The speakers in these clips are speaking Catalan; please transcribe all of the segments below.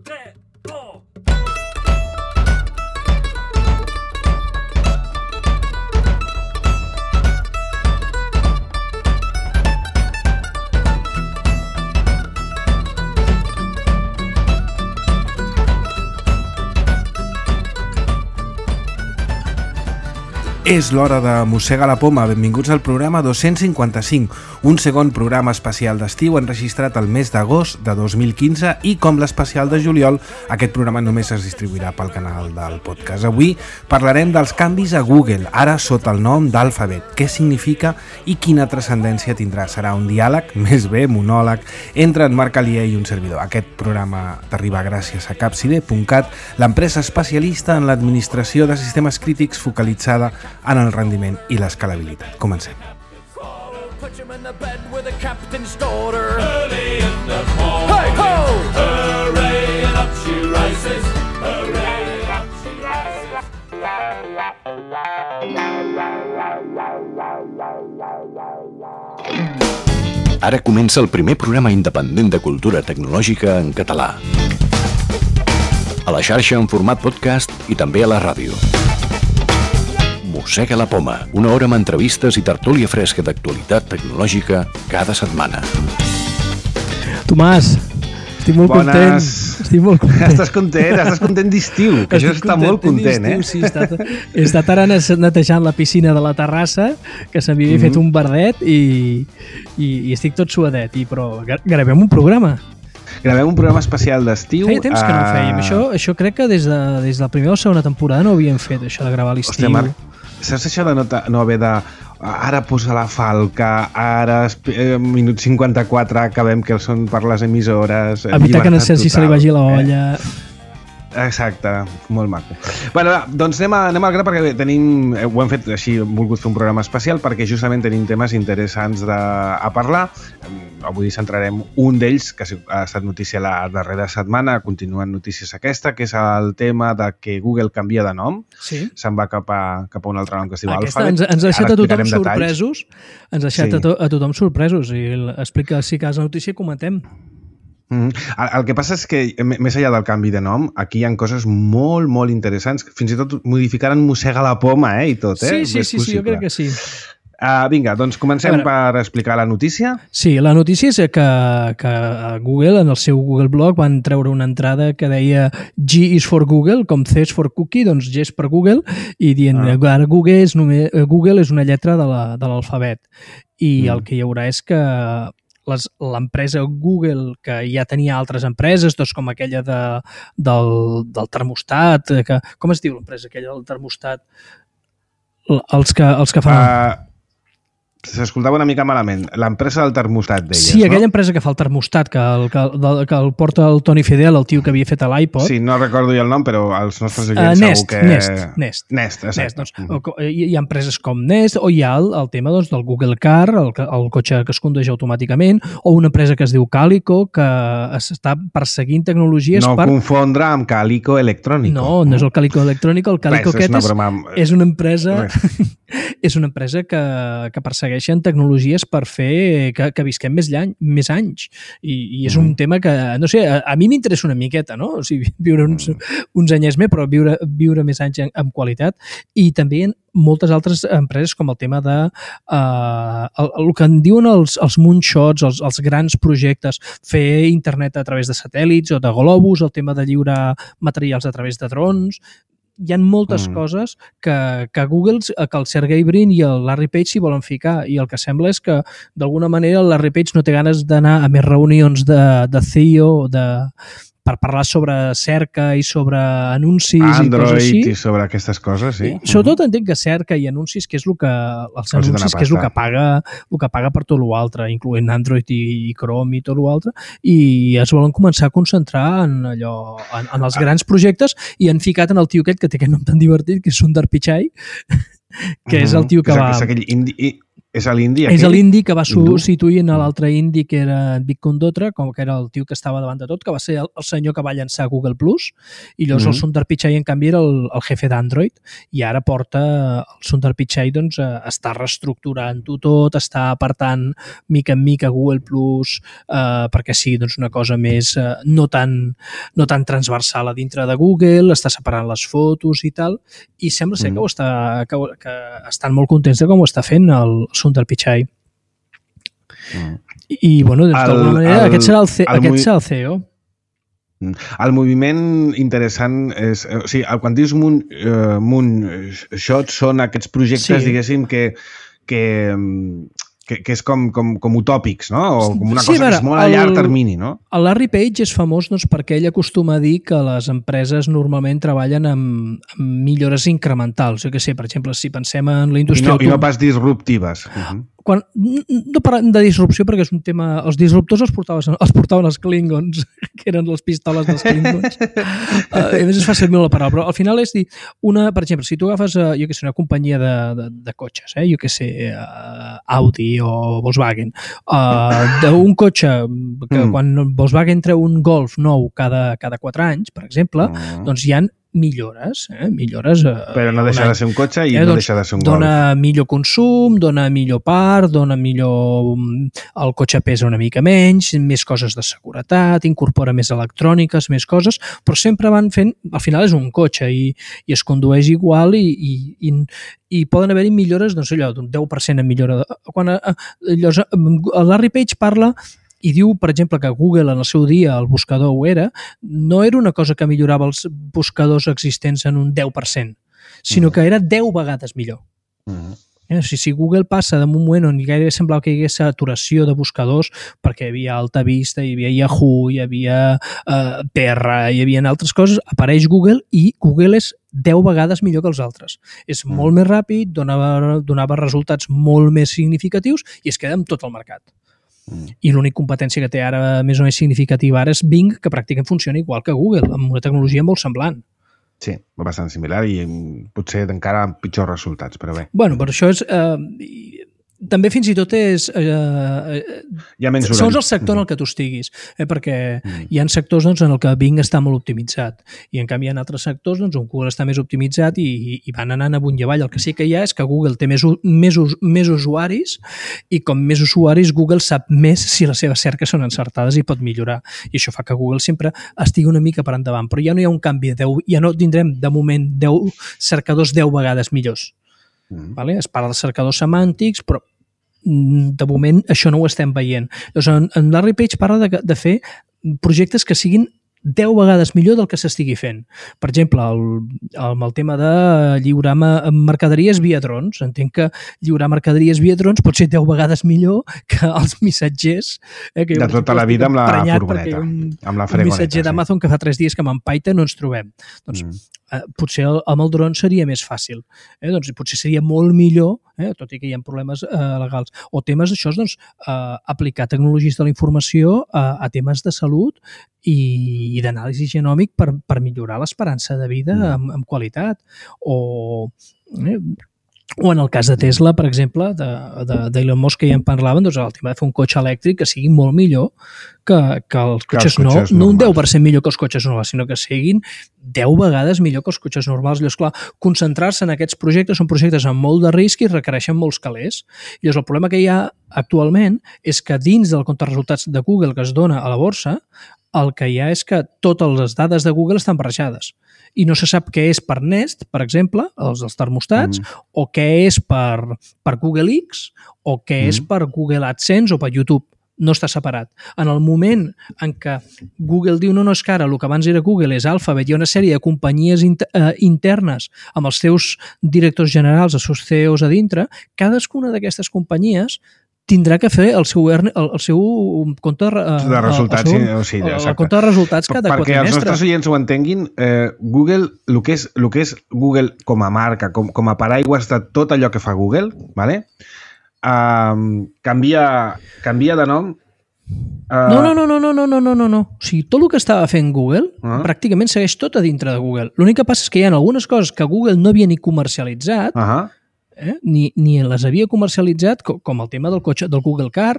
3, 2... És l'hora de Mossega la Poma. Benvinguts al programa 255, un segon programa especial d'estiu enregistrat el mes d'agost de 2015 i, com l'especial de juliol, aquest programa només es distribuirà pel canal del podcast. Avui parlarem dels canvis a Google, ara sota el nom d'Alphabet, què significa i quina transcendència tindrà. Serà un diàleg, més bé monòleg, entre en Marc Alier i un servidor. Aquest programa t'arriba gràcies a Capcide.cat, l'empresa especialista en l'administració de sistemes crítics focalitzada en el rendiment i l'escalabilitat. Comencem. Ara comença el primer programa independent de cultura tecnològica en català. A la xarxa en format podcast i també a la ràdio. Mossega la Poma, una hora amb entrevistes i tertúlia fresca d'actualitat tecnològica cada setmana. Tomàs, estic molt content. Estic molt content. Estàs content d'estiu, que això està molt content, eh? Sí, he estat ara netejant la piscina de la terrassa, que se m'havia fet un verdet i estic tot suadet, però gravem un programa. Gravem un programa especial d'estiu. Feia temps que no ho fèiem. Això crec que des de la primera o segona temporada no ho havíem fet, això de gravar a l'estiu. Hòstia, Marc, saps això de no haver de... Ara posa la falca, ara minut 54 acabem que són per les emissores... Evitar que Narcís se li vagi la olla... Exacte, molt maco. Bueno, doncs anem al gra perquè ho hem fet així, hem volgut fer un programa especial perquè justament tenim temes interessants a parlar. Avui centrarem un d'ells, que ha estat notícia la darrera setmana, continuen notícies aquesta, que és el tema de que Google canvia de nom. Sí. Se'n va cap a un altre nom que es diu Alphabet. Ens ha deixat a tothom sorpresos. Ens ha deixat a tothom sorpresos. I explica, si cas la notícia, comentem. El que passa és que, més enllà del canvi de nom, aquí hi ha coses molt, molt interessants. Fins i tot modificaren Mossega la Poma, i tot, Sí, jo crec que sí. Vinga, doncs comencem per explicar la notícia. Sí, la notícia és que Google, en el seu Google Blog, van treure una entrada que deia G is for Google, com C is for Cookie, doncs G és per Google, i dient ara Google és una lletra de l'alfabet. I el que hi haurà és que l'empresa Google, que ja tenia altres empreses, doncs com aquella del termostat, com es diu l'empresa aquella del termostat? Els que fan... S'escoltava una mica malament. L'empresa del termostat, deies, sí, aquella empresa que fa el termostat, que el porta el Toni Fidel, el tio que havia fet l'iPod. Sí, no recordo jo el nom, però els nostres oients segur que... Nest, exacte. Doncs, hi ha empreses com Nest, o hi ha el tema del Google Car, el cotxe que es condueix automàticament, o una empresa que es diu Calico, que està perseguint tecnologies per... No confondre amb Calico Electrónico. No és el Calico Electrònic, el Calico aquest és una empresa... És una empresa que persegueixen tecnologies per fer que visquem més anys. I és un tema que, no sé, a mi m'interessa una miqueta, no? O sigui, viure uns anyets més, però viure més anys amb qualitat. I també moltes altres empreses, com el tema de el que en diuen els moonshots, els grans projectes, fer internet a través de satèl·lits o de globus, el tema de lliurar materials a través de drons... Hi ha moltes coses que Google, que el Sergey Brin i el Larry Page s'hi volen ficar, i el que sembla és que d'alguna manera el Larry Page no té ganes d'anar a més reunions de CEO per parlar sobre cerca i sobre anuncis Android, i coses així. I sobre aquestes coses, sí. Sobretot entenc que cerca i anuncis, que és el que paga per tot l'altre, incloent Android i Chrome i tot l'altre, i es volen començar a concentrar en els grans projectes, i han ficat en el tio aquest que té aquest nom tan divertit, que és Sundar Pichai, que és el tio que va... És l'indi aquell? És l'indi que va substituir en l'altre indi que era Vic Condotra, com que era el tio que estava davant de tot, que va ser el senyor que va llançar Google Plus, i llavors el Sundar Pichai, en canvi, era el jefe d'Android, i ara porta el Sundar Pichai, doncs, està reestructurant-ho tot, està apartant mica en mica Google Plus perquè sigui doncs, una cosa més no tan transversal a dintre de Google, està separant les fotos i tal, i sembla ser que estan molt contents de com ho està fent el Sundar Pichai. I, bueno, d'alguna manera, aquest serà el CEO. El moviment interessant és... O sigui, quan dius Moonshot són aquests projectes, diguéssim, que és com utòpics, no? O com una cosa que és molt a llarg termini, no? El Larry Page és famós doncs, perquè ell acostuma a dir que les empreses normalment treballen amb millores incrementals. Jo què sé, per exemple, si pensem en la indústria... I no pas disruptives. No parlem de disrupció perquè és un tema... Els disruptors els portaven els Klingons, que eren les pistoles dels Klingons. A més es fa servir la paraula, però al final és dir... Per exemple, si tu agafes, jo què sé, una companyia de cotxes, jo què sé, Audi o Volkswagen, d'un cotxe que quan Volkswagen treu un Golf nou cada 4 anys, per exemple, doncs hi ha millores. Però no deixa de ser un cotxe i no deixa de ser un Golf. Dona millor consum, dona millor part, dona millor... El cotxe pesa una mica menys, més coses de seguretat, incorpora més electròniques, més coses, però sempre van fent... Al final és un cotxe i es condueix igual i poden haver-hi millores, doncs allò, d'un 10% en millora. Quan el Larry Page parla... I diu, per exemple, que Google en el seu dia, el buscador ho era, no era una cosa que millorava els buscadors existents en un 10%, sinó que era 10 vegades millor. Si Google passa d'un moment on gairebé semblava que hi hagués saturació de buscadors, perquè hi havia Alta Vista, hi havia Yahoo, hi havia Terra, hi havia altres coses, apareix Google i Google és 10 vegades millor que els altres. És molt més ràpid, donava resultats molt més significatius i es queda amb tot el mercat. I l'única competència que té ara més o més significativa ara és Bing, que pràcticament funciona igual que Google, amb una tecnologia molt semblant. Sí, bastant similar i potser encara amb pitjors resultats, però bé. Bueno, però això és... també fins i tot és... segons el sector en el que tu estiguis, perquè hi ha sectors doncs, en el que Bing està molt optimitzat i en canvi hi ha altres sectors doncs, on Google està més optimitzat i van anant amunt i avall. El que sí que hi ha és que Google té més usuaris i com més usuaris Google sap més si les seves cerques són encertades i pot millorar. I això fa que Google sempre estigui una mica per endavant. Però ja no hi ha un canvi, ja no tindrem de moment 10 cercadors 10 vegades millors. Vale? Es parla de cercadors semàntics, però de moment això no ho estem veient. Llavors, en Larry Page parla de fer projectes que siguin 10 vegades millor del que s'estigui fent. Per exemple, amb el tema de lliurar mercaderies via drons. Entenc que lliurar mercaderies via drons pot ser 10 vegades millor que els missatgers. Que de tota la vida amb la furgoneta, amb la fregoneta. Un missatger d'Amazon que fa 3 dies que m'empaita no ens trobem. Doncs potser amb el dron seria més fàcil. Doncs potser seria molt millor, tot i que hi ha problemes legals. O temes d'això, doncs, aplicar tecnologies de la informació a temes de salut i d'anàlisi genòmic per millorar l'esperança de vida amb qualitat. O en el cas de Tesla, per exemple, d'Elon Musk, que ja en parlaven, doncs el tema de fer un cotxe elèctric que sigui molt millor que els cotxes nous. No un 10% millor que els cotxes normals, sinó que siguin 10 vegades millor que els cotxes normals. Llavors, clar, concentrar-se en aquests projectes són projectes amb molt de risc i requereixen molts calés. Llavors, el problema que hi ha actualment és que dins del compte de resultats de Google que es dona a la borsa, el que hi ha és que totes les dades de Google estan barrejades i no se sap què és per Nest, per exemple, els termostats, o què és per Google X, o què és per Google AdSense o per YouTube. No està separat. En el moment en què Google diu no, és que ara el que abans era Google és Alphabet, hi ha una sèrie de companyies internes amb els seus directors generals, els seus CEOs a dintre, cadascuna d'aquestes companyies tindrà que fer el seu compte de resultats, el compte de resultats cada quadrimestre. Perquè els nostres oients ho entenguin, Google, el que és Google com a marca, com a paraigües de tot allò que fa Google, ¿vale? Canvia de nom. No. O sigui, tot el que estava fent Google pràcticament segueix tot a dintre de Google. L'únic que passa és que hi ha algunes coses que Google no havia ni comercialitzat ni les havia comercialitzat, com el tema del cotxe, del Google Car,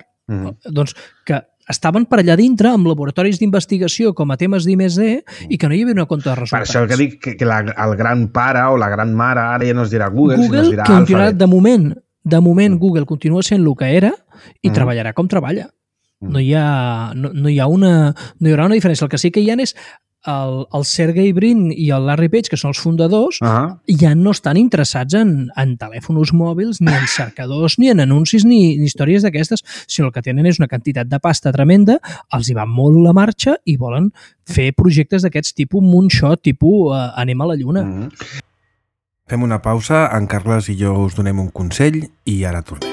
doncs que estaven per allà dintre amb laboratoris d'investigació com a temes d'I+D i que no hi havia una compte de resultats. Per això que dic que el gran pare o la gran mare ara ja no es dirà Google, sinó es dirà Alphabet. De moment Google continua sent el que era i treballarà com treballa. No hi haurà una diferència. El que sí que hi ha és el Sergey Brin i el Larry Page, que són els fundadors, ja no estan interessats en telèfons mòbils, ni en cercadors, ni en anuncis, ni històries d'aquestes, sinó el que tenen és una quantitat de pasta tremenda, els hi va molt la marxa i volen fer projectes d'aquests tipus moonshot, tipus anem a la lluna. Fem una pausa, en Carles i jo us donem un consell i ara tornem.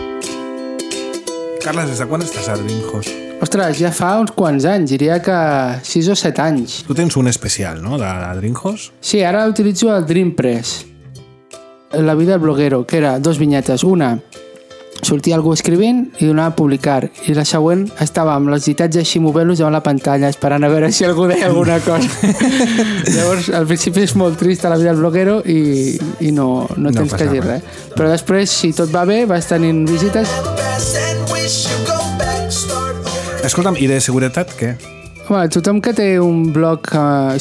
Carles, des de quan estàs a DreamHost? Ostres, ja fa uns quants anys, diria que 6 o 7 anys. Tu tens un especial, no?, de DreamHost? Sí, ara utilitzo el DreamPress. La vida del bloguero, que era 2 vinyetes. Una, sortia algú escrivint i donava a publicar. I la següent estava amb els ditats així movent-los davant la pantalla, esperant a veure si algú deia alguna cosa. Llavors, al principi és molt trist la vida del bloguero i no tens que dir res. Però després, si tot va bé, vas tenint visites. Escolta'm, i de seguretat què? Home, tothom que té un blog,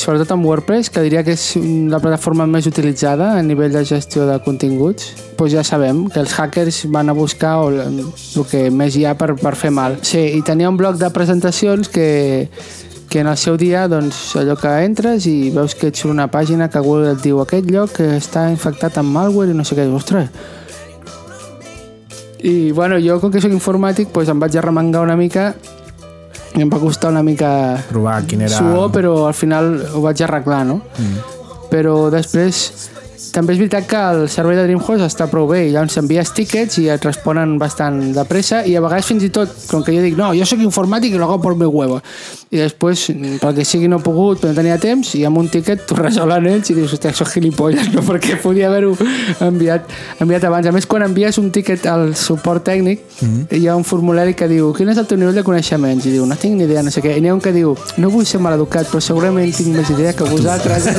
sobretot amb WordPress, que diria que és la plataforma més utilitzada a nivell de gestió de continguts, doncs ja sabem que els hackers van a buscar el que més hi ha per fer mal. Sí, i tenia un bloc de presentacions que en el seu dia, doncs, allò que entres i veus que et surt una pàgina que Google et diu aquest lloc està infectat amb malware i no sé què. Ostres! I, bueno, jo, com que soc informàtic, doncs em vaig arremangar una mica i em va costar una mica provar quin era... suor, però al final ho vaig arreglar, no? Però després també és veritat que el servei de DreamHost està prou bé i llavors envies tickets i et responen bastant de pressa i a vegades fins i tot, com que jo dic no, jo soc informàtic i lo hago por mi huevo i després, pel que sigui no he pogut però no tenia temps i amb un ticket t'ho resolen ells i dius, hòstia, soc gilipolles, no? Perquè podia haver-ho enviat abans. A més, quan envies un ticket al suport tècnic hi ha un formulari que diu quin és el teu nivell de coneixements? I diu, no tinc ni idea, no sé què. I n'hi ha un que diu, no vull ser maleducat però segurament tinc més idea que vosaltres.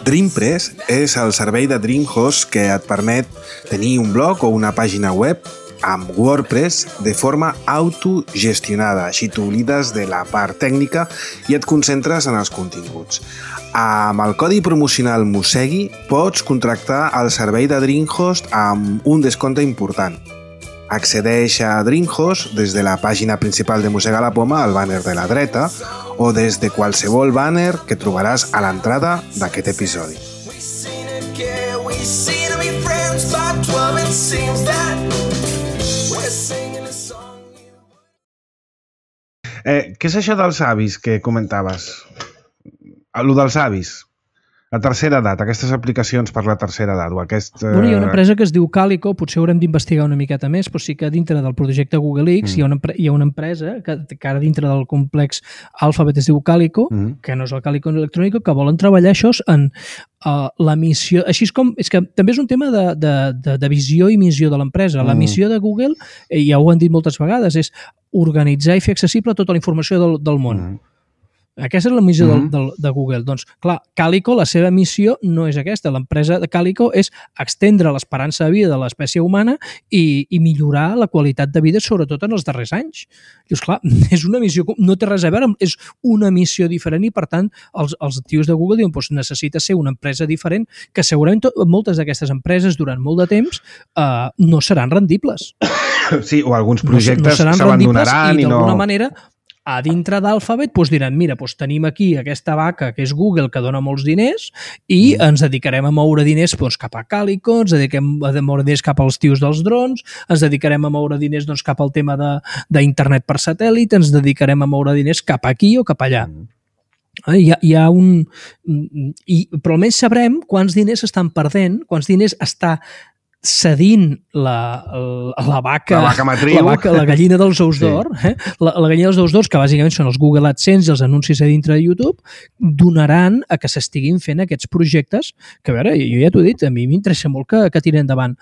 DreamPress és el servei de DreamHost que et permet tenir un blog o una pàgina web amb WordPress de forma autogestionada. Així t'oblides de la part tècnica i et concentres en els continguts. Amb el codi promocional Mosegui pots contractar el servei de DreamHost amb un descompte important. Accedeix a DreamHost des de la pàgina principal de Mossega la Poma al bàner de la dreta o des de qualsevol bàner que trobaràs a l'entrada d'aquest episodi. Què és això dels avis que comentaves? Allò dels avis. La tercera edat, aquestes aplicacions per la tercera edat o aquest... Bueno, hi ha una empresa que es diu Calico, potser haurem d'investigar una miqueta més, però sí que dintre del projecte Google X hi ha una empresa que ara dintre del complex Alphabet es diu Calico, que no és el Calico electrònic, que volen treballar això en la missió... Així és com... És que també és un tema de visió i missió de l'empresa. La missió de Google, ja ho han dit moltes vegades, és organitzar i fer accessible tota la informació del món. Aquesta és la missió de Google. Doncs, clar, Calico, la seva missió no és aquesta. L'empresa de Calico és extendre l'esperança de vida de l'espècie humana i millorar la qualitat de vida, sobretot en els darrers anys. Dius, clar, és una missió, no té res a veure, és una missió diferent i, per tant, els tios de Google diuen doncs necessita ser una empresa diferent que segurament moltes d'aquestes empreses durant molt de temps no seran rendibles. Sí, o alguns projectes s'abandonaran i d'alguna manera a dintre d'Alphabet diran, mira, tenim aquí aquesta vaca que és Google que dona molts diners i ens dedicarem a moure diners cap a Calico, ens dediquem a moure diners cap als tios dels drons, ens dedicarem a moure diners cap al tema d'internet per satèl·lit, ens dedicarem a moure diners cap aquí o cap allà. Hi ha un... Però almenys sabrem quants diners s'estan perdent, quants diners està cedint la vaca matriu, la gallina dels ous d'or, la gallina dels ous d'or, que bàsicament són els Google AdSense i els anuncis a dintre de YouTube, donaran a que s'estiguin fent aquests projectes que, a veure, jo ja t'ho he dit, a mi m'interessa molt que tiren endavant.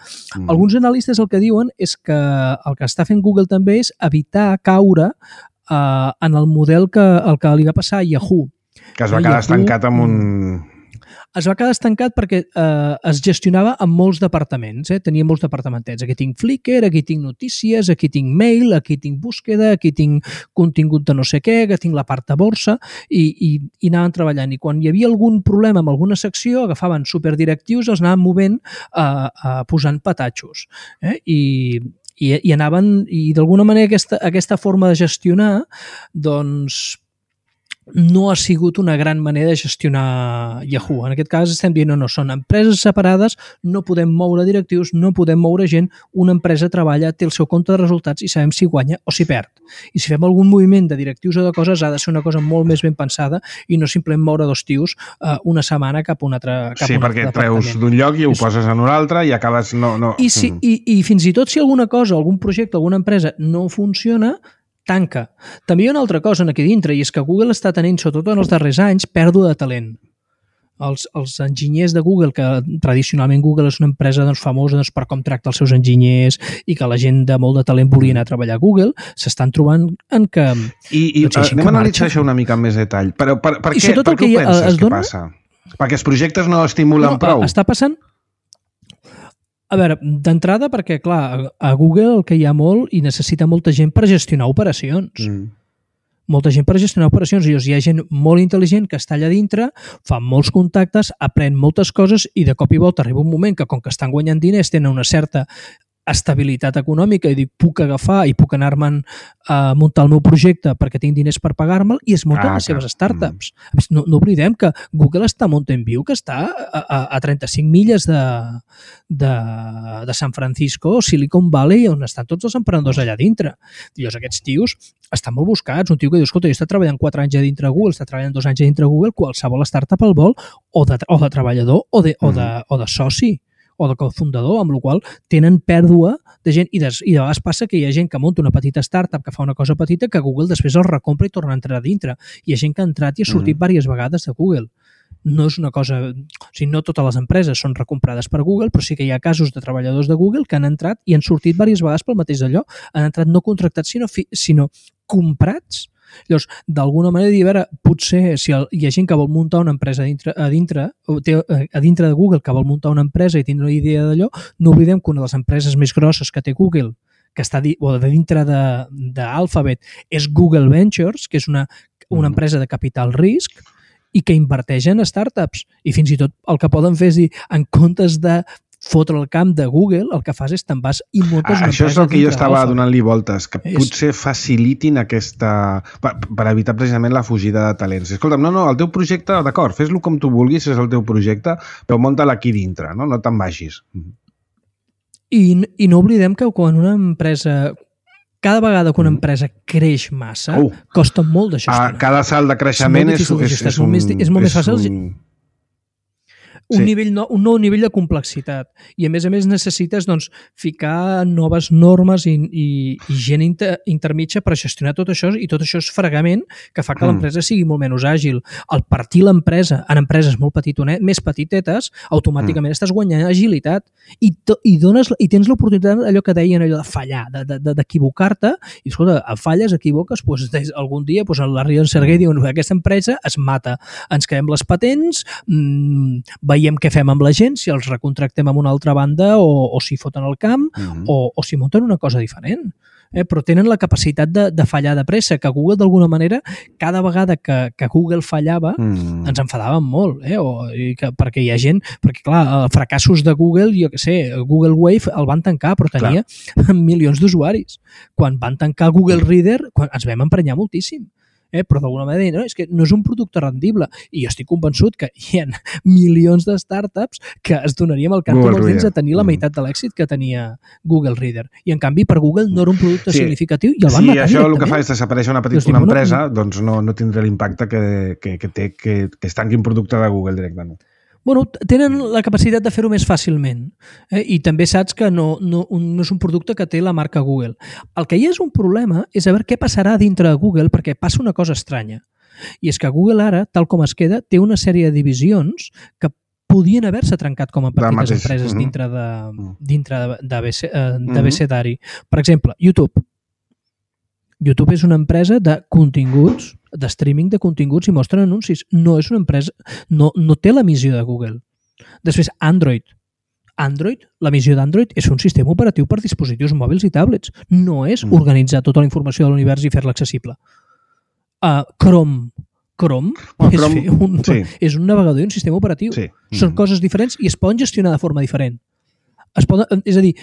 Alguns analistes el que diuen és que el que està fent Google també és evitar caure en el model que li va passar a Yahoo. Que es va quedar estancat amb un... es va quedar estancat perquè es gestionava amb molts departaments, tenia molts departamentets. Aquí tinc Flickr, aquí tinc notícies, aquí tinc mail, aquí tinc búsqueda, aquí tinc contingut de no sé què, aquí tinc la part de borsa, i anaven treballant. I quan hi havia algun problema amb alguna secció, agafaven superdirectius, els anaven movent posant petatxos. I anaven, i d'alguna manera aquesta forma de gestionar, doncs, no ha sigut una gran manera de gestionar Yahoo. En aquest cas estem dient, no, són empreses separades, no podem moure directius, no podem moure gent, una empresa treballa, té el seu compte de resultats i sabem si guanya o si perd. I si fem algun moviment de directius o de coses, ha de ser una cosa molt més ben pensada i no simplement moure dos tios una setmana cap a un altre Sí, perquè treus d'un lloc i ho poses en un altre i acabes... I fins i tot si alguna cosa, algun projecte, alguna empresa no funciona, tanca. També hi ha una altra cosa aquí dintre, i és que Google està tenint, sobretot en els darrers anys, pèrdua de talent. Els enginyers de Google, que tradicionalment Google és una empresa famosa per com tracta els seus enginyers i que la gent de molt de talent volia anar a treballar a Google, s'estan trobant en que... Anem a analitzar això una mica amb més detall. Però per què ho penses que passa? Perquè els projectes no estimulen prou? Està passant... A veure, d'entrada perquè, clar, a Google el que hi ha molt i necessita molta gent per gestionar operacions. Molta gent per gestionar operacions. I hi ha gent molt intel·ligent que està allà dintre, fa molts contactes, aprèn moltes coses i de cop i volta arriba un moment que, com que estan guanyant diners, tenen una certa estabilitat econòmica i dic, puc agafar i puc anar-me'n a muntar el meu projecte perquè tinc diners per pagar-me'l i es munten les seves startups. No oblidem que Google està a Mountain View, que està a 35 milles de San Francisco, Silicon Valley, on estan tots els emprenedors allà dintre. I llavors aquests tios estan molt buscats. Un tio que diu, escolta, jo he estat treballant 4 anys a dintre Google, està treballant 2 anys a dintre Google, qualsevol startup el vol, o de treballador o de soci o de cofundador, amb la qual tenen pèrdua de gent i de vegades passa que hi ha gent que munta una petita startup que fa una cosa petita que Google després el recompra i torna a entrar a dintre. Hi ha gent que ha entrat i ha sortit diverses vegades de Google. No és una cosa... O sigui, no totes les empreses són recomprades per Google, però sí que hi ha casos de treballadors de Google que han entrat i han sortit diverses vegades pel mateix d'allò. Han entrat no contractats, sinó comprats. Llavors, d'alguna manera, dir, a veure, potser si hi ha gent que vol muntar una empresa a dintre de Google, que vol muntar una empresa i tindre una idea d'allò, no oblidem que una de les empreses més grosses que té Google, que està de dintre d'Alphabet, és Google Ventures, que és una empresa de capital risc i que inverteix en startups. I fins i tot el que poden fer és dir, en comptes de fotre el camp de Google, el que fas és te'n vas i muntes una empresa. Això és el que jo estava donant-li voltes, que potser facilitin aquesta... per evitar precisament la fugida de talents. Escolta'm, no, el teu projecte, d'acord, fes-lo com tu vulguis, és el teu projecte, però munta-la aquí dintre, no te'n vagis. I no oblidem que quan una empresa... Cada vegada que una empresa creix massa, costa molt de gestionar. Cada salt de creixement és molt més fàcil... Un nou nivell de complexitat. I a més necessites ficar noves normes i gent intermitja per gestionar tot això, i tot això és fregament que fa que l'empresa sigui molt menys àgil. Al partir l'empresa en empreses molt més petitetes, automàticament estàs guanyant agilitat i tens l'oportunitat, allò que deien, allò de fallar, d'equivocar-te, i escolta, falles, equivoques, algun dia la Rion Serguer diu, aquesta empresa es mata, ens quedem les patents, veiem què fem amb la gent, si els recontractem amb una altra banda o si foten el camp o si munten una cosa diferent. Però tenen la capacitat de fallar de pressa, que Google d'alguna manera, cada vegada que Google fallava, ens enfadàvem molt, perquè hi ha gent, perquè clar, fracassos de Google, jo què sé, Google Wave el van tancar, però tenia milions d'usuaris. Quan van tancar Google Reader, ens vam emprenyar moltíssim. Però d'alguna manera és que no és un producte rendible, i jo estic convençut que hi ha milions de startups que es donaríem el canto dels dents a tenir la meitat de l'èxit que tenia Google Reader, i en canvi per Google no era un producte significatiu i el van matar. Si això el que fa és desaparèixer una empresa, doncs no tindrà l'impacte que té que es tanqui un producte de Google directament. Tenen la capacitat de fer-ho més fàcilment, i també saps que no és un producte que té la marca Google. El que hi és un problema és veure què passarà dintre de Google, perquè passa una cosa estranya, i és que Google ara, tal com es queda, té una sèrie de divisions que podien haver-se trencat com a petites empreses dintre d'abecedari. Per exemple, YouTube. YouTube és una empresa de continguts de streaming de continguts i mostren anuncis. No és una empresa... No té la missió de Google. Després, Android, la missió d'Android és un sistema operatiu per dispositius mòbils i tablets. No és organitzar tota la informació de l'univers i fer-la accessible. Chrome és un navegador i un sistema operatiu. Sí. Són coses diferents i es poden gestionar de forma diferent. És a dir,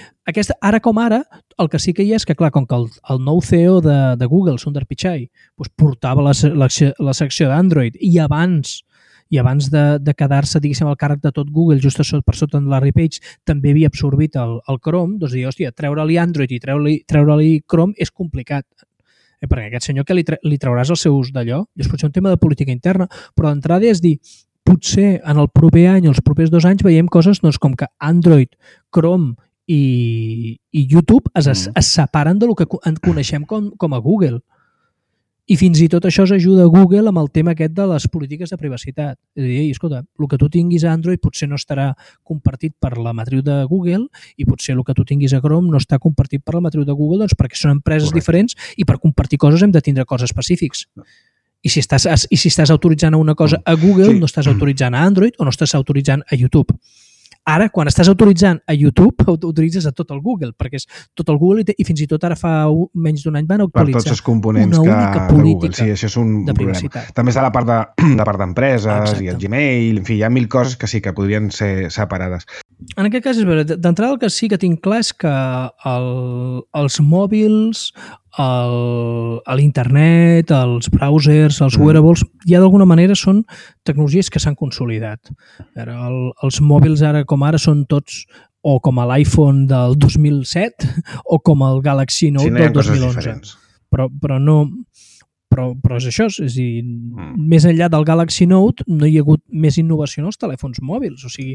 ara com ara, el que sí que hi ha és que, clar, com que el nou CEO de Google, Sundar Pichai, portava la secció d'Android i abans de quedar-se, diguéssim, al càrrec de tot Google, just per sota de Larry Page, també havia absorbit el Chrome, doncs dir, hòstia, treure-li Android i treure-li Chrome és complicat. Perquè aquest senyor que li trauràs els seus d'allò, és potser un tema de política interna, però d'entrada és dir, potser en el proper any, els propers 2 anys, veiem coses com que Android, Chrome i YouTube es separen del que coneixem com a Google. I fins i tot això ajuda a Google amb el tema aquest de les polítiques de privacitat. És a dir, escolta, el que tu tinguis a Android potser no estarà compartit per la matriu de Google i potser el que tu tinguis a Chrome no està compartit per la matriu de Google, doncs perquè són empreses diferents i per compartir coses hem de tindre coses específics. I si estàs autoritzant a una cosa a Google, no estàs autoritzant a Android o no estàs autoritzant a YouTube. Ara, quan estàs autoritzant a YouTube, autoritzes a tot el Google, perquè és tot el Google i fins i tot ara fa menys d'un any van actualitzar per tots els components una única política sí, això és un de privacitat. També està la part d'empreses i el Gmail, en fi, hi ha 1000 coses que sí que podrien ser separades. En aquest cas, és veritat, d'entrada el que sí que tinc clar és que els mòbils, l'internet, els browsers, els wearables, ja d'alguna manera són tecnologies que s'han consolidat. Els mòbils ara com ara són tots o com a l'iPhone del 2007 o com el Galaxy Note del 2011. Però és això, és a dir, més enllà del Galaxy Note no hi ha hagut més innovació en els telèfons mòbils, o sigui,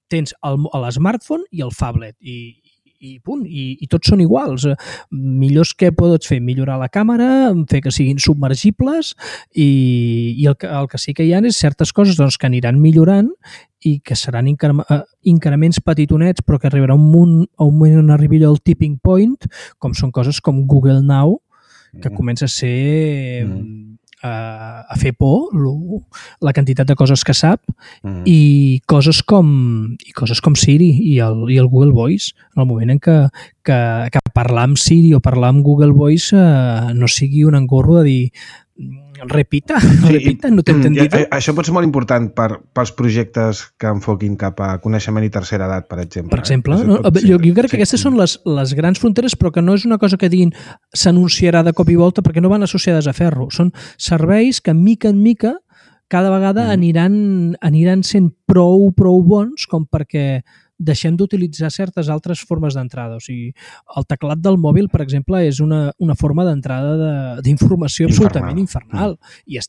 tens l'smartphone i el phablet i punt, i tots són iguals. Millors que pots fer? Millorar la càmera, fer que siguin submergibles i el que sí que hi ha és certes coses que aniran millorant i que seran increments petitonets però que arribarà un moment on arribi allò al tipping point, com són coses com Google Now, que comença a ser a fer por la quantitat de coses que sap i coses com Siri i el Google Voice, en el moment en que parlar amb Siri o parlar amb Google Voice no sigui un engorro de dir repita, no t'he entendido. Això pot ser molt important pels projectes que enfoquin cap a coneixement i tercera edat, per exemple. Per exemple, jo crec que aquestes són les grans fronteres, però que no és una cosa que diguin s'anunciarà de cop i volta perquè no van associades a ferro. Són serveis que, mica en mica, cada vegada aniran sent prou bons com perquè deixem d'utilitzar certes altres formes d'entrada. O sigui, el teclat del mòbil, per exemple, és una forma d'entrada d'informació absolutament infernal. I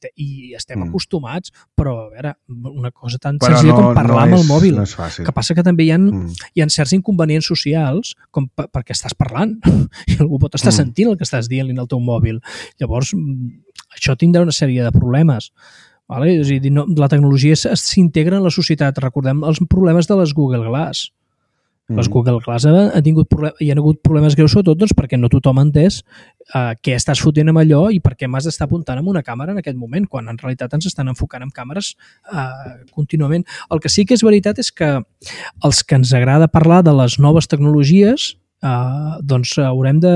estem acostumats, però a veure, una cosa tan senzilla com parlar amb el mòbil. No és fàcil. Que passa que també hi ha certs inconvenients socials com perquè estàs parlant i algú pot estar sentint el que estàs dient-li al teu mòbil. Llavors, això tindrà una sèrie de problemes. Vale? És a dir, la tecnologia s'integra en la societat. Recordem els problemes de les Google Glass. Les Google Glass hi ha hagut problemes greus, sobretot perquè no tothom ha entès què estàs fotent amb allò i per què m'has d'estar apuntant amb una càmera en aquest moment, quan en realitat ens estan enfocant amb càmeres contínuament. El que sí que és veritat és que els que ens agrada parlar de les noves tecnologies doncs haurem de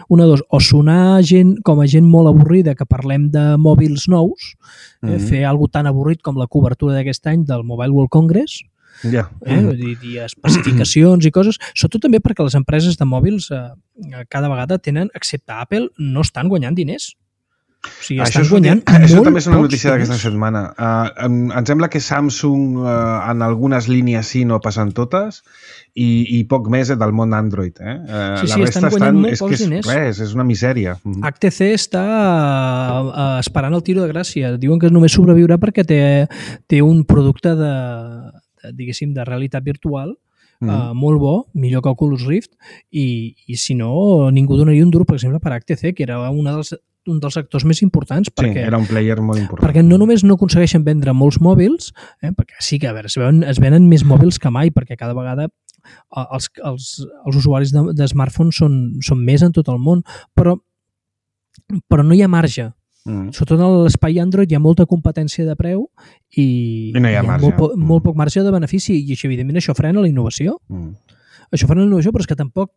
o sonar com a gent molt avorrida que parlem de mòbils nous, fer alguna tan avorrit com la cobertura d'aquest any del Mobile World Congress, dir especificacions i coses, sobretot també perquè les empreses de mòbils cada vegada tenen, excepte Apple, no estan guanyant diners. O sigui, estan guanyant això també és una notícia d'aquesta setmana. Em sembla que Samsung en algunes línies sí, no passen totes, i poc més del món Android. Sí, estan guanyant molt pocs diners. És una misèria. HTC està esperant el tiro de gràcia. Diuen que només sobreviurà perquè té un producte de realitat virtual molt bo, millor que Oculus Rift, i si no, ningú donaria un duro, per exemple, per HTC, que era un dels actors més importants, perquè era un player molt important. Perquè no només no aconsegueixen vendre molts mòbils, perquè sí que a veure, es venen més mòbils que mai, perquè cada vegada els usuaris de smartphones són més en tot el món, però no hi ha marge. Sobretot en l'espai Android hi ha molta competència de preu i no hi ha marge. Molt poc marge de benefici i evidentment això frena la innovació. Això frena la innovació, però és que tampoc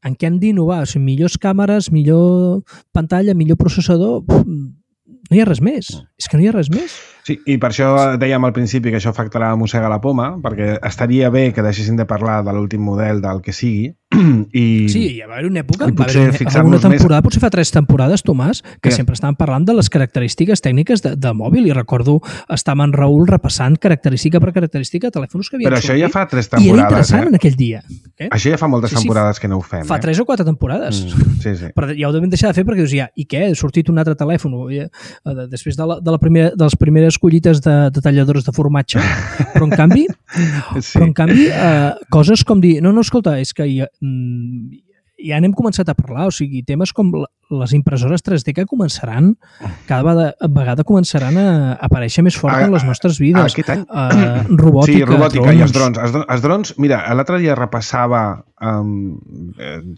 en què hem d'innovar? O sigui, millors càmeres, millor pantalla, millor processador, no hi ha res més. És que no hi ha res més. Sí, i per això dèiem al principi que això afectarà Mossega la Poma, perquè estaria bé que deixessin de parlar de l'últim model del que sigui. Sí, hi va haver una època, una temporada, potser fa 3 temporades, Tomàs, que sempre estaven parlant de les característiques tècniques de mòbil, i recordo estar amb en Raül repassant característica per característica telèfons que havien sortit. Però això ja fa 3 temporades. I era interessant en aquell dia. Això ja fa moltes temporades que no ho fem. Fa 3 o 4 temporades. Sí. Però ja ho devem deixar de fer perquè dius, i què? Ha sortit un altre telèfon. Després de les primeres collites de talladores de formatge. Però en canvi, coses com dir, no, escolta, és que ja n'hem començat a parlar, o sigui, temes com les impressores 3D que començaran, cada vegada començaran a aparèixer més fort en les nostres vides. Robòtica. Sí, robòtica i els drons. Els drons, mira, l'altre dia repassava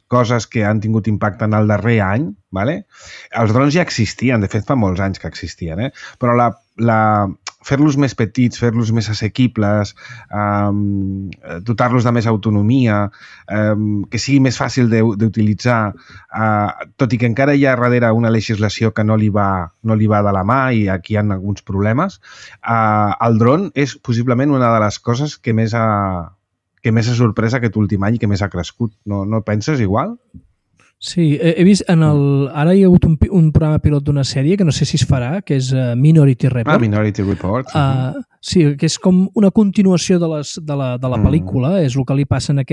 coses que han tingut impacte en el darrer any, ¿vale? Els drons ja existien, de fet fa molts anys que existien, però fer-los més petits, fer-los més assequibles, dotar-los de més autonomia, que sigui més fàcil d'utilitzar, tot i que encara hi ha darrere una legislació que no li va de la mà i aquí hi ha alguns problemes, el dron és possiblement una de les coses que més ha sorprès aquest últim any i que més ha crescut. No penses igual? Sí, he vist ara hi ha hagut un programa pilot d'una sèrie que no sé si es farà, que és Minority Report. Minority Report. Sí, que és com una continuació de la pel·lícula, és el que li passa en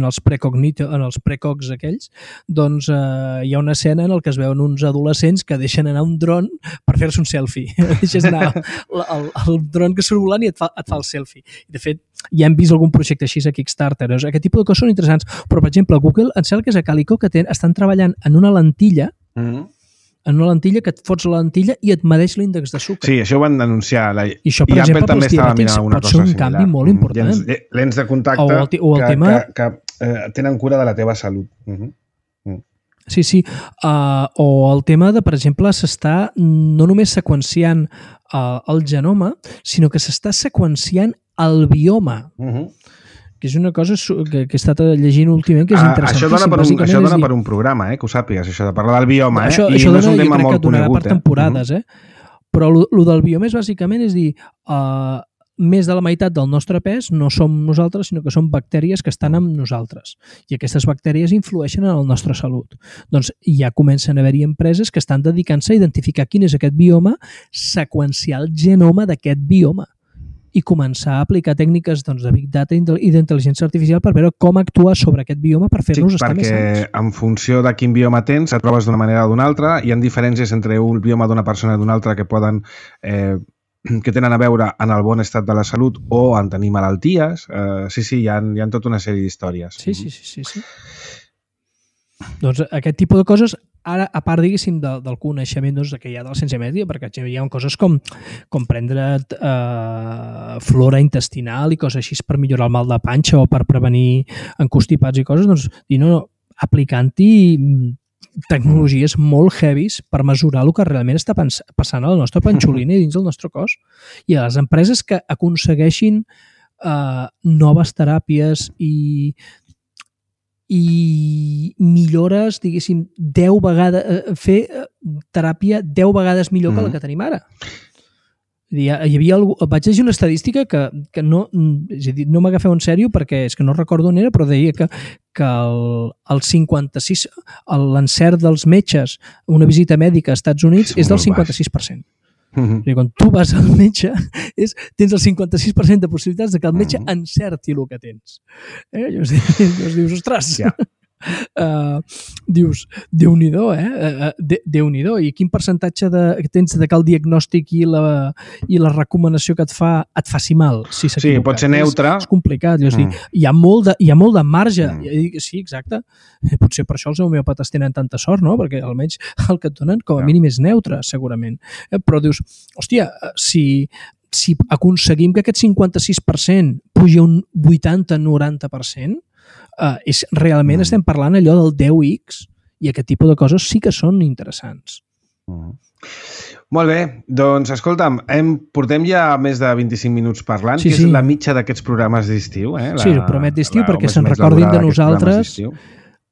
els precogs aquells, doncs hi ha una escena en què es veuen uns adolescents que deixen anar un dron per fer-se un selfie. Deixes anar el dron que surt volant i et fa el selfie. I de fet, ja hem vist algun projecte així a Kickstarter. Aquest tipus de coses són interessants. Però, per exemple, Google, em sembla que és a Calico, que estan treballant en una lentilla que et fots la lentilla i et medeix l'índex de sucre. Sí, això ho van denunciar. I això, per exemple, pels diabètics pot ser un canvi molt important. Lents de contacte que tenen cura de la teva salut. Sí. O el tema de, per exemple, s'està no només seqüenciant el genoma, sinó que s'està seqüenciant el bioma. Que és una cosa que he estat llegint últimament, que és interessantíssim. Això dona per un programa, que ho sàpigues, això de parlar del bioma. Això dona, jo crec que donarà per temporades. Però el del bioma és bàsicament, és dir, més de la meitat del nostre pes no som nosaltres, sinó que són bactèries que estan amb nosaltres. I aquestes bactèries influeixen en la nostra salut. Doncs ja comencen a haver-hi empreses que estan dedicant-se a identificar quin és aquest bioma, seqüenciar el genoma d'aquest bioma i començar a aplicar tècniques de Big Data i d'intel·ligència artificial per veure com actuar sobre aquest bioma per fer-nos estar més sants. Perquè en funció de quin bioma tens, et trobes d'una manera o d'una altra. Hi ha diferències entre un bioma d'una persona i d'una altra que tenen a veure en el bon estat de la salut o en tenir malalties. Sí, hi ha tota una sèrie d'històries. Sí. Doncs aquest tipus de coses, ara, a part, diguéssim, del coneixement que hi ha de la ciència mèdica, perquè hi ha coses com prendre flora intestinal i coses així per millorar el mal de panxa o per prevenir encostipats i coses, doncs, aplicant-hi tecnologies molt heavies per mesurar el que realment està passant a la nostra panxolina i dins del nostre cos. I a les empreses que aconsegueixin noves teràpies i millores, diguéssim, 10 vegades, fer teràpia 10 vegades millor que la que tenim ara. Hi havia vaig llegir una estadística que no m'agafeu en sèrio perquè és que no recordo on era, però deia que el 56, l'encert dels metges a una visita mèdica als Estats Units és del 56%. Quan tu vas al metge, tens el 56% de possibilitats de que el metge encerti el que tens. Llavors dius, ostres, dius, Déu-n'hi-do, Déu-n'hi-do. I quin percentatge tens de que el diagnòstic i la recomanació que et faci mal? Si sí, pot ser neutre. És complicat. Hi ha molt de marge. Sí, exacte. Potser per això els homeopates tenen tanta sort, no? Perquè almenys el que et donen com a mínim és neutre, segurament. Però dius, hòstia, si aconseguim que aquest 56% pugi a un 80-90%, realment estem parlant allò del 10x i aquest tipus de coses sí que són interessants. Molt bé, doncs escolta'm, portem ja més de 25 minuts parlant, que és la mitja d'aquests programes d'estiu. Sí, el promet d'estiu, perquè se'n recordin de nosaltres.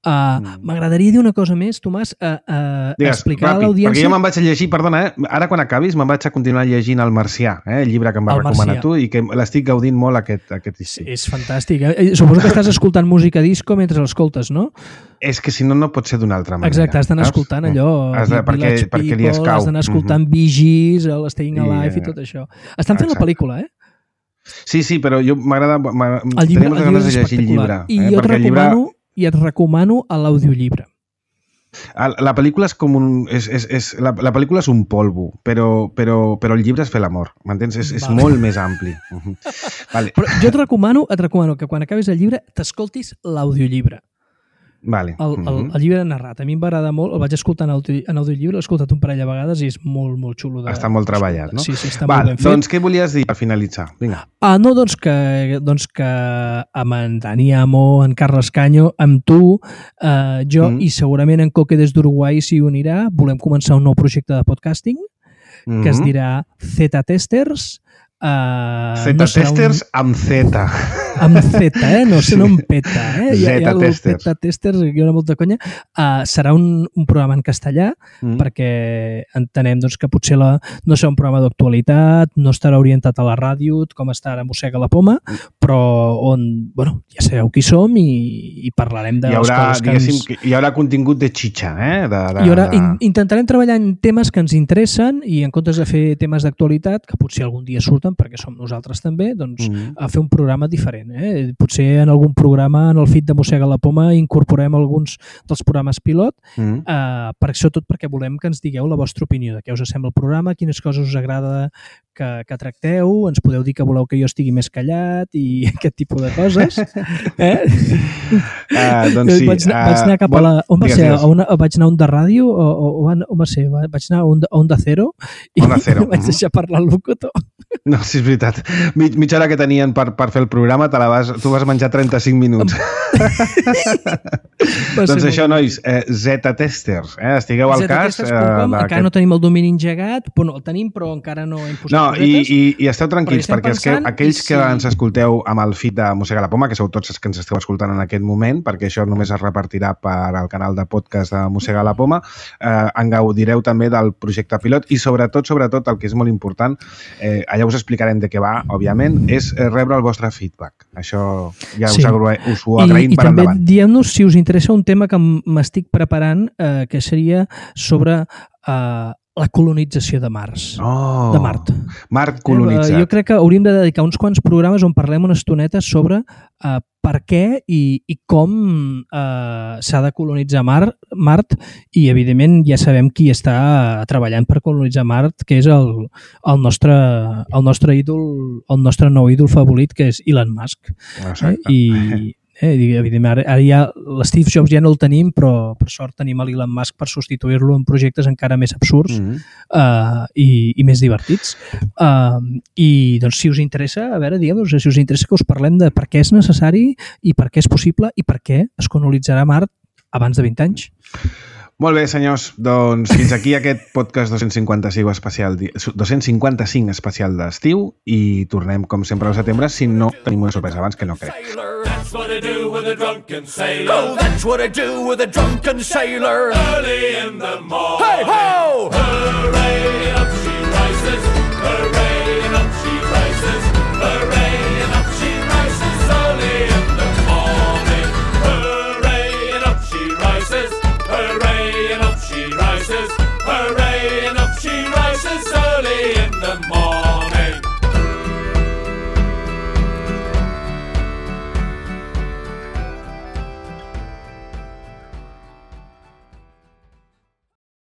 M'agradaria dir una cosa més, Tomàs, explicar a l'audiència... Perquè jo me'n vaig a llegir, perdona, ara quan acabis me'n vaig a continuar llegint El Marcià, el llibre que em va recomanar tu i que l'estic gaudint molt aquest estiu. És fantàstic. Suposo que estàs escoltant música disco mentre l'escoltes, no? És que si no, no pot ser d'una altra manera. Exacte, has d'anar escoltant allò. Perquè li escau. Has d'anar escoltant Bee Gees, l'Staying Alive i tot això. Estan fent la pel·lícula, Sí, però jo m'agrada... El llibre és espectacular. I et recomano l'audiollibre. La pel·lícula és com la pel·lícula és un polvo, però el llibre és fer l'amor, m'entens? És molt més ampli. Vale. Però jo et recomano que quan acabis el llibre t'escoltis l'audiollibre. Vale. El llibre narrat. A mi em va agradar molt, el vaig escoltar en audiollibre, l'he escoltat un parell de vegades i és molt, molt xulo. Està molt treballat, no? Sí, està molt ben fet. Doncs què volies dir per finalitzar? Vinga. No, doncs que amb en Dani Amo, en Carles Canyo, amb tu, jo i segurament en Coque des d'Uruguai s'hi unirà, volem començar un nou projecte de podcasting que es dirà Z-Testers. Z-Testers amb Z. Amb Z, no amb peta. Z-Testers. Z-Testers, hi ha molta conya. Serà un programa en castellà perquè entenem que potser no serà un programa d'actualitat, no estarà orientat a la ràdio com està ara Mossega la Poma, però on, ja sabeu qui som i parlarem de les coses que ens... Hi haurà contingut de xitxa, Intentarem treballar en temes que ens interessen i en comptes de fer temes d'actualitat, que potser algun dia surten perquè som nosaltres també, doncs a fer un programa diferent. Potser en algun programa, en el feed de Mossega la Poma, incorporem alguns dels programes pilot, sobretot perquè volem que ens digueu la vostra opinió de què us sembla el programa, quines coses us agrada que tracteu, ens podeu dir que voleu que jo estigui més callat i aquest tipus de coses. Doncs sí. Vaig anar cap a la... On va ser? Vaig anar a Onda Ràdio? On va ser? Vaig anar a Onda Cero i vaig deixar parlar el locutor. No, sí, és veritat. Mitja hora que tenien per fer el programa, tu vas menjar 35 minuts. Doncs això, nois, Z-Testers, estigueu al cas. Encara no tenim el domini engegat, el tenim però encara no hem posat cosetes. I esteu tranquils, perquè aquells que ens escolteu amb el feed de Mossega la Poma, que sou tots els que ens esteu escoltant en aquest moment, perquè això només es repartirà per al canal de podcast de Mossega la Poma, en gaudireu també del projecte pilot i sobretot, el que és molt important, allà us explicarem de què va, òbviament, és rebre el vostre feedback. Això ja us ho agraïm per endavant. I també diem-nos si us interessa un tema que m'estic preparant, que seria sobre la colonització de Mars. De Mart. Mart colonitzat. Jo crec que hauríem de dedicar uns quants programes on parlem una estoneta sobre per què i com s'ha de colonitzar Mart i, evidentment, ja sabem qui està treballant per colonitzar Mart, que és el nostre ídol, el nostre nou ídol favorit, que és Elon Musk. Exacte. Evidentment, ara ja l'Steve Jobs ja no el tenim, però per sort tenim l'Elon Musk per substituir-lo en projectes encara més absurds i més divertits. I doncs, si us interessa, a veure, digueu-nos, si us interessa que us parlem de per què és necessari i per què és possible i per què es colonitzarà Mart abans de 20 anys. Molt bé, senyors, doncs fins aquí aquest podcast 255 especial d'estiu i tornem, com sempre, al setembre, si no tenim una sorpresa abans, que no crec. That's what I do with a drunken sailor. Oh, that's what I do with a drunken sailor. Early in the morning. Hey ho! Hooray, up she rises. Hooray, and up she rises. Hooray, and up she rises. Early in the morning. Hooray, and up she rises. Hooray, and up she rises. Hooray.